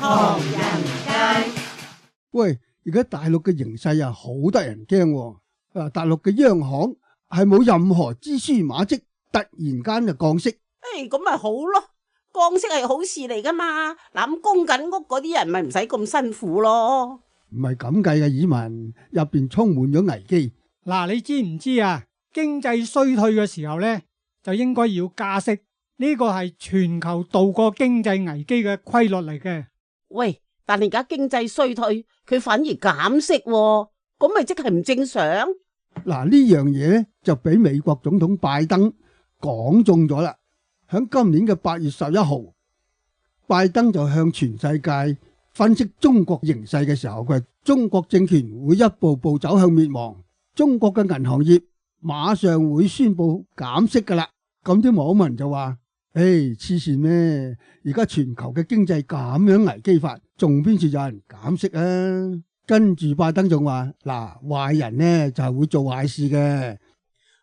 唐人街。喂，而家大陸嘅形勢啊，好得人驚喎。大陸嘅央行係冇任何蛛絲馬跡，突然間就降息。咁咪好咯，降息係好事嚟噶嘛。嗱，咁供緊屋嗰啲人咪唔使咁辛苦咯。唔係咁計嘅，耳文入邊充滿咗危機。嗱，你知唔知啊？經濟衰退嘅時候呢，就應該要加息，呢個係全球度過經濟危機嘅規律嚟嘅。喂，但係而家經濟衰退，佢反而減息喎，咁咪即係唔正常？嗱，呢樣嘢咧就俾美國總統拜登講中咗啦。喺今年嘅8月11號，拜登就向全世界分析中國形勢嘅時候，佢話中國政權會一步步走向滅亡，中國嘅銀行業馬上會宣布減息噶啦。咁啲網民就話：黐線咩？而家全球嘅經濟咁樣危機法，仲邊處有人減息啊？跟住拜登仲話：嗱，壞人呢就係會做壞事嘅。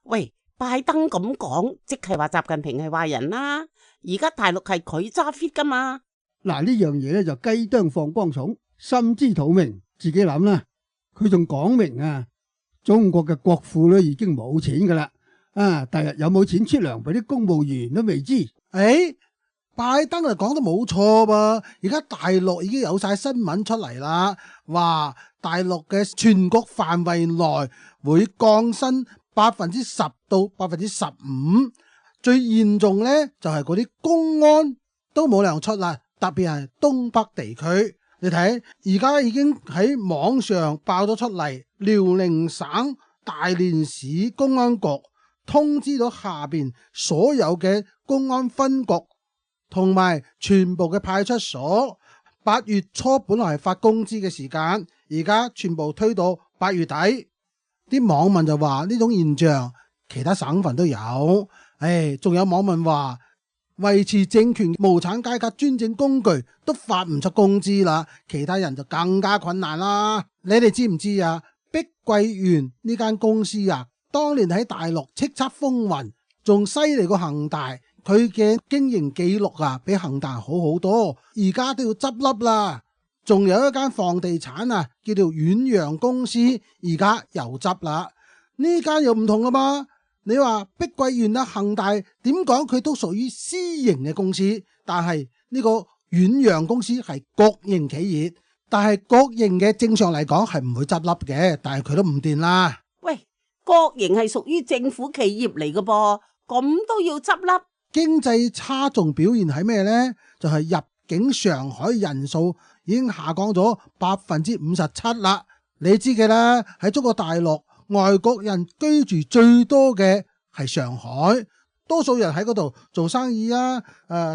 喂，拜登咁講，即係話習近平係壞人啦。而家大陸係佢揸 fit 噶嘛？嗱，呢樣嘢咧就雞啄放光蟲，心知肚明，自己諗啦。佢仲講明啊，中國嘅國庫咧已經冇錢噶啦，第日有冇錢出糧俾啲公務員都未知。拜登就講得冇錯噃，而家大陸已經有晒新聞出嚟啦，話大陸嘅全國範圍內會降薪10%到15%，最嚴重呢就係嗰啲公安都冇糧出啦，特別係東北地區。你睇而家已經喺網上爆咗出嚟，遼寧省大連市公安局通知咗下邊所有嘅公安分局同埋全部嘅派出所，8月初本來係發工資嘅時間，而家全部推到8月底。啲網民就話呢種現象其他省份都有，仲有網民話維持政權無產階級專政工具都發唔出工資啦，其他人就更加困難啦。你哋知唔知啊？碧桂園呢間公司啊，當年喺大陸叱咤風雲，仲犀利過恒大。佢嘅經營記錄啊，比恒大好好多，而家都要執笠啦。仲有一間房地產啊，叫做遠洋公司，而家又執啦。呢間又唔同啦嘛。你話碧桂園啊、恒大點講佢都屬於私營嘅公司，但係呢個遠洋公司係國營企業，但係國營嘅正常嚟講係唔會執笠嘅，但係佢都唔掂啦。喂，國營係屬於政府企業嚟嘅噃，咁都要執笠？經濟差仲表現喺咩呢？就係入境上海人數已經下降咗57%啦。你知嘅啦，喺中國大陸外國人居住最多嘅係上海，多數人喺嗰度做生意啊、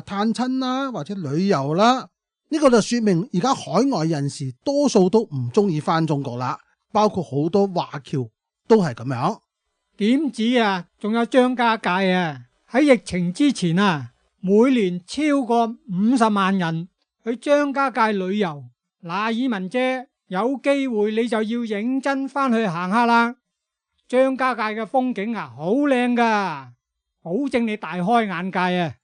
探親啦或者旅遊啦。呢個就說明而家海外人士多數都唔中意翻中國啦，包括好多華僑都係咁樣。點止啊？仲有張家界啊！喺疫情之前啊，每年超過50萬人去張家界旅遊。嗱，耳文姐，有機會你就要認真翻去行下啦。張家界嘅風景啊，好靚噶，保證你大開眼界啊！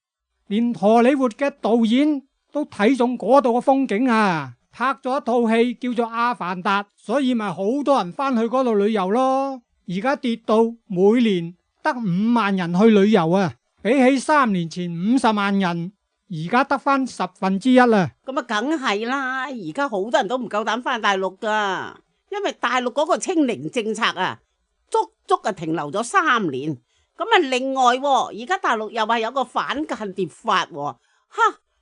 連荷里活嘅導演都睇中嗰度嘅風景啊，拍咗一套戲叫做《阿凡達》，所以咪好多人翻去嗰度旅遊咯。而家跌到每年得5萬人去旅遊啊，比起3年前50萬人，而家得翻1/10啦。咁啊，梗係啦！而家好多人都唔夠膽翻大陸噶，因為大陸嗰個清零政策啊，足啊停留咗3年。咁啊，另外而家大陸又話有個反間諜法，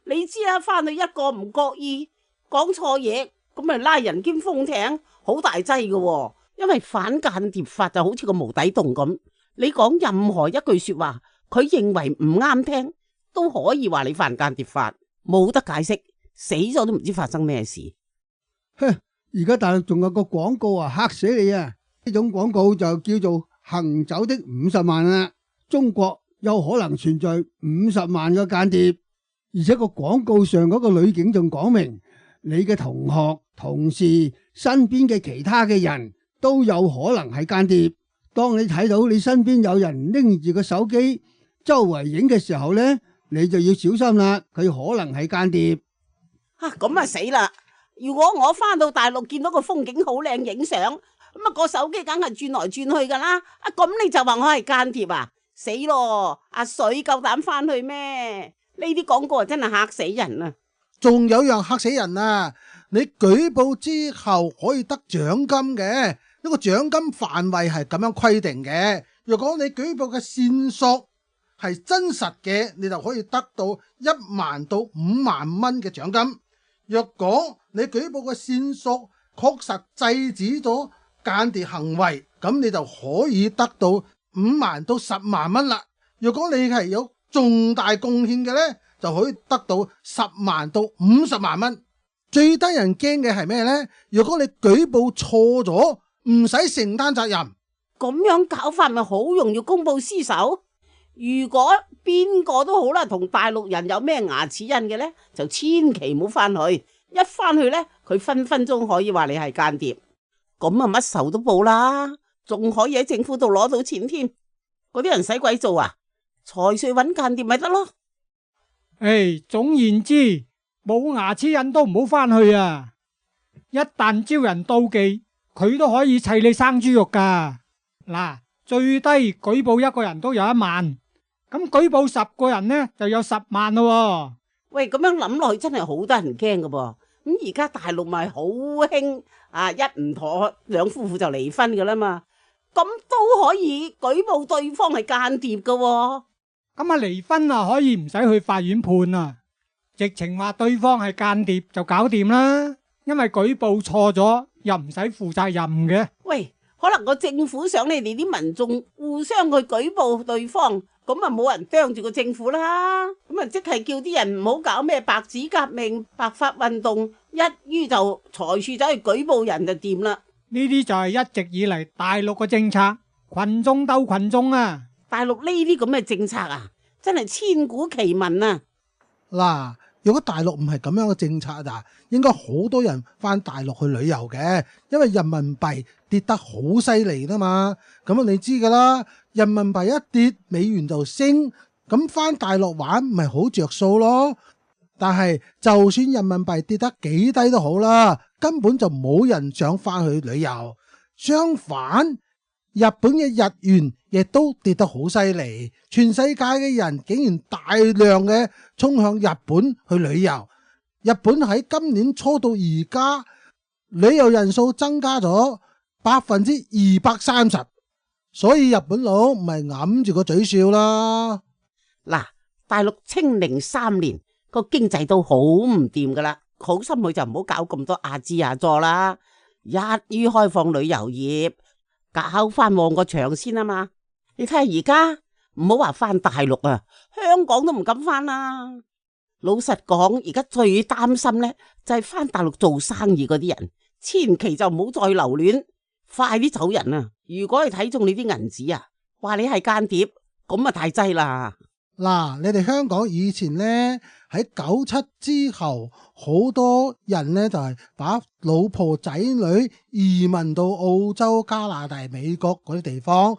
你知啊，翻去一個唔覺意講錯嘢，咁咪拉人兼封艇，好大劑噶。因為反間諜法就好似個無底洞咁，你講任何一句說話，佢認為唔啱聽，都可以話你犯間諜法，冇得解釋，死咗都唔知發生咩事。而家大陸仲有個廣告啊，嚇死你啊！呢種廣告就叫做行走的50萬啦。中國有可能存在50萬個間諜，而且個廣告上嗰個女警仲講明，你嘅同學、同事、身邊嘅其他嘅人都有可能係間諜。當你睇到你身邊有人拎住個手機周圍影嘅時候呢，你就要小心啦，佢可能係間諜。咁啊死啦！如果我翻到大陸見到個風景好靚，影相，咁啊個手機梗係轉來轉去噶啦。咁你就話我係間諜啊？死咯！阿水夠膽翻去咩？呢啲廣告啊真係嚇死人啊！仲有樣嚇死人啊！你舉報之後可以得獎金嘅，呢個獎金範圍係咁樣規定嘅。如果你舉報嘅線索係真實嘅，你就可以得到1萬到5萬蚊嘅獎金。若果你舉報嘅線索確實制止咗間諜行為，咁你就可以得到5萬到10萬蚊啦。如果你係有重大貢獻嘅呢，就可以得到10萬到50萬蚊。最得人驚嘅係咩呢？如果你舉報錯咗，唔使承擔責任。咁樣搞法咪好容易公報私仇？如果邊個都好啦，同大陸人有咩牙齒印嘅呢，就千祈唔好翻去。一翻去呢，佢分分鐘可以話你係間諜，咁啊乜仇都報啦，仲可以喺政府度攞到錢添。嗰啲人使鬼做啊？財稅揾間諜咪得咯？總言之，冇牙齒印都唔好翻去啊！一旦招人妒忌，佢都可以砌你生豬肉噶。嗱，最低舉報1個人都有1萬，咁舉報10個人呢，就有10萬咯。喂，咁樣諗落去真係好得人驚噶噃。咁而家大陸咪好興一唔妥兩夫婦就離婚噶啦嘛，咁都可以舉報對方係間諜噶。咁啊離婚啊可以唔使去法院判啊，直情話對方係間諜就搞掂啦，因為舉報錯咗又唔使負責任嘅。喂，可能個政府想你哋啲民眾互相去舉報對方，咁啊冇人啄住個政府啦，咁啊即係叫啲人唔好搞咩白紙革命、白髮運動，一於就財處走去舉報人就掂啦。呢啲就係一直以嚟大陸嘅政策，群眾鬥群眾啊！大陸呢啲咁嘅政策啊，真係千古奇聞啊！嗱，如果大陸唔係咁樣嘅政策啊，應該好多人翻大陸去旅遊嘅，因為人民幣跌得好犀利啦嘛。咁你知噶啦，人民幣一跌，美元就升，咁翻大陸玩咪好着數咯。但係就算人民幣跌得幾低都好啦，根本就冇人想翻去旅遊。相反，日本嘅日元亦都跌得好犀利，全世界嘅人竟然大量嘅衝向日本去旅遊。日本喺今年初到而家，旅遊人數增加咗230%，所以日本佬唔係揞住個嘴笑啦。嗱，大陸清零3年個經濟都好唔掂噶啦，好心佢就唔好搞咁多亞支亞佐啦，一於開放旅遊業。搞翻旺個場先啊嘛！你睇下而家唔好話翻大陸啊，香港都唔敢翻啦。老實講，而家最擔心呢就係翻大陸做生意嗰啲人，千祈就唔好再留戀，快啲走人啊！如果你睇中你啲銀紙啊，話你係間諜，咁啊太滯啦。嗱，你哋香港以前呢，喺97之後，好多人呢就係把老婆仔女移民到澳洲、加拿大、美國嗰啲地方，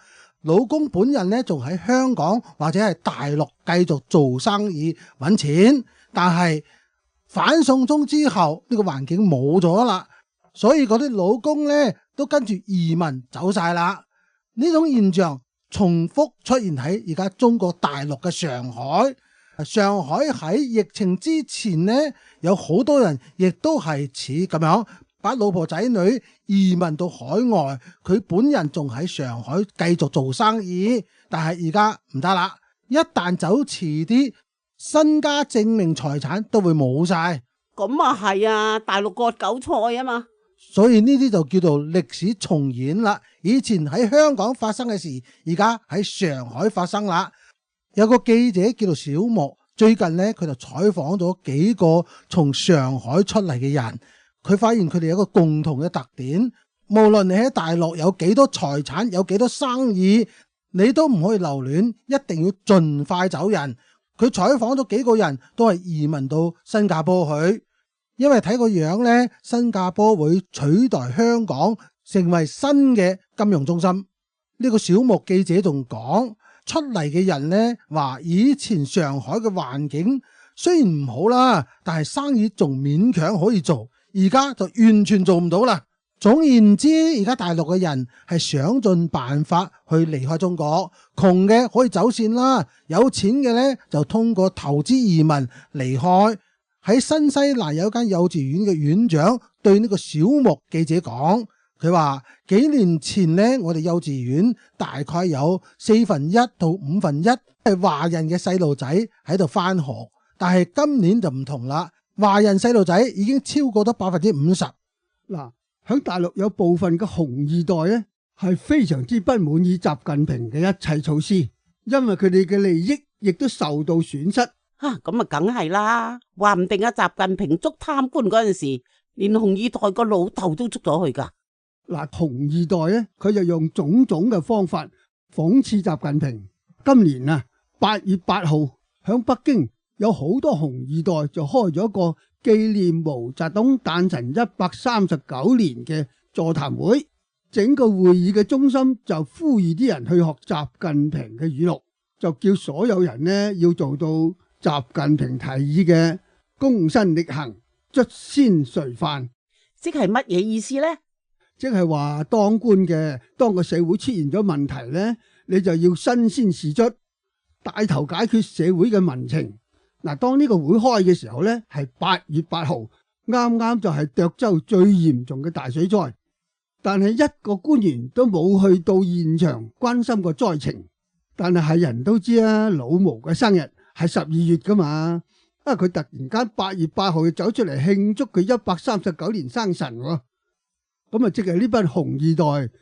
老公本人呢仲喺香港或者係大陸繼續做生意揾錢。但係反送中之後，呢個環境冇咗啦，所以嗰啲老公呢都跟住移民走晒啦。呢種現象重複出現喺而家中國大陸嘅上海。上海喺疫情之前呢，有好多人亦都係似咁樣把老婆仔女移民到海外，佢本人仲喺上海繼續做生意。但係而家唔得啦，一旦走遲啲，身家證明財產都會冇晒。咁啊係啊，大陸割韭菜啊嘛。所以呢啲就叫做歷史重演啦。以前喺香港發生嘅事，而家喺上海發生啦。有個記者叫做小莫，最近呢，佢就採訪咗幾個從上海出嚟嘅人，佢發現佢哋有一個共同嘅特點，無論你喺大陸有幾多財產，有幾多生意，你都唔可以留戀，一定要盡快走人。佢採訪咗幾個人都係移民到新加坡去，因為睇個樣呢，新加坡會取代香港成為新嘅金融中心。呢個小莫記者仲講，出嚟嘅人呢話，以前上海嘅環境雖然唔好啦，但係生意仲勉強可以做，而家就完全做唔到啦。總言之，而家大陸嘅人係想盡辦法去離開中國，窮嘅可以走線啦，有錢嘅呢就通過投資移民離開。喺新西蘭有間幼稚園嘅園長對呢個小木記者講，佢話幾年前呢，我哋幼稚園大概有1/4到1/5係華人嘅細路仔喺度返學，但係今年就唔同啦，華人細路仔已經超過咗50%。嗱，喺大陸有部分嘅紅二代咧，係非常之不滿意習近平嘅一切措施，因為佢哋嘅利益亦都受到損失。咁啊，梗係啦，話唔定習近平捉貪官嗰陣時，連紅二代個老豆都捉咗去噶。嗱，紅二代咧，佢就用種種嘅方法諷刺習近平。今年啊，8月8號響北京有好多紅二代就開咗個紀念毛澤東誕辰139年嘅座談會，整個會議嘅中心就呼籲啲人去學習近平嘅語錄，就叫所有人呢要做到習近平提議嘅躬身力行、卒先垂範。即係乜嘢意思呢？即係話當官嘅，當個社會出現咗問題呢，你就要身先士卒，帶頭解決社會嘅民情。嗱，當呢個會開嘅時候呢，係8月8號，啱啱就係涿州最嚴重嘅大水災，但係一個官員都冇去到現場關心個災情。但係人都知啊，老毛嘅生日係12月噶嘛，佢突然間8月8號就走出嚟慶祝佢139年生辰喎。咁啊，即係呢班紅二代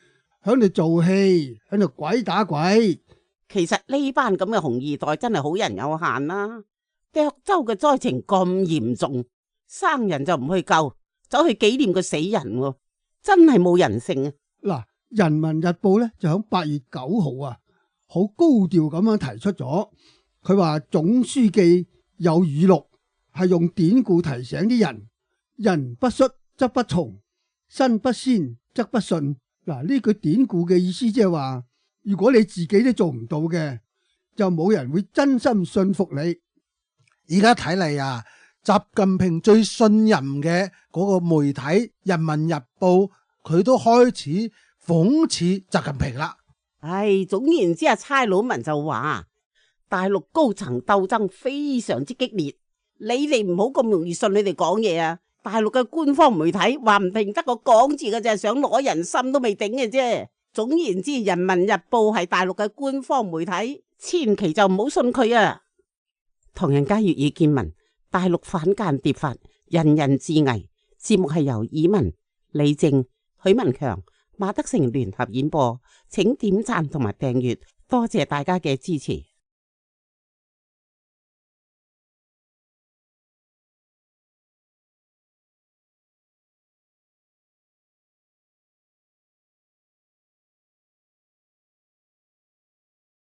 喺度做戲，喺度鬼打鬼。其實呢班咁嘅紅二代真係好人有限啦。涿州嘅災情咁嚴重，生人就唔去救，走去紀念個死人，真係冇人性啊！嗱，《人民日報》咧就喺8月9號啊，好高調咁樣提出咗，佢話總書記有語錄，係用典故提醒啲人：人不率則不從，身不先則不順。嗱，呢句典故嘅意思即係話，如果你自己都做唔到嘅，就冇人會真心信服你。而家睇嚟啊，習近平最信任嘅嗰個媒體《人民日報》，佢都開始諷刺習近平啦。總言之，差佬文就話大陸高層鬥爭非常之激烈，你哋唔好咁容易信你哋講嘢啊！大陸嘅官方媒體話唔定得個講字嘅啫，想攞人心都未頂嘅啫。總言之，《人民日報》係大陸嘅官方媒體，千祈就唔好信佢啊！唐人街粵語見聞，大陸反間諜法，人人自危。節目係由以文、李正、許文強、馬德成聯合演播，請點讚同埋訂閱，多謝大家嘅支持。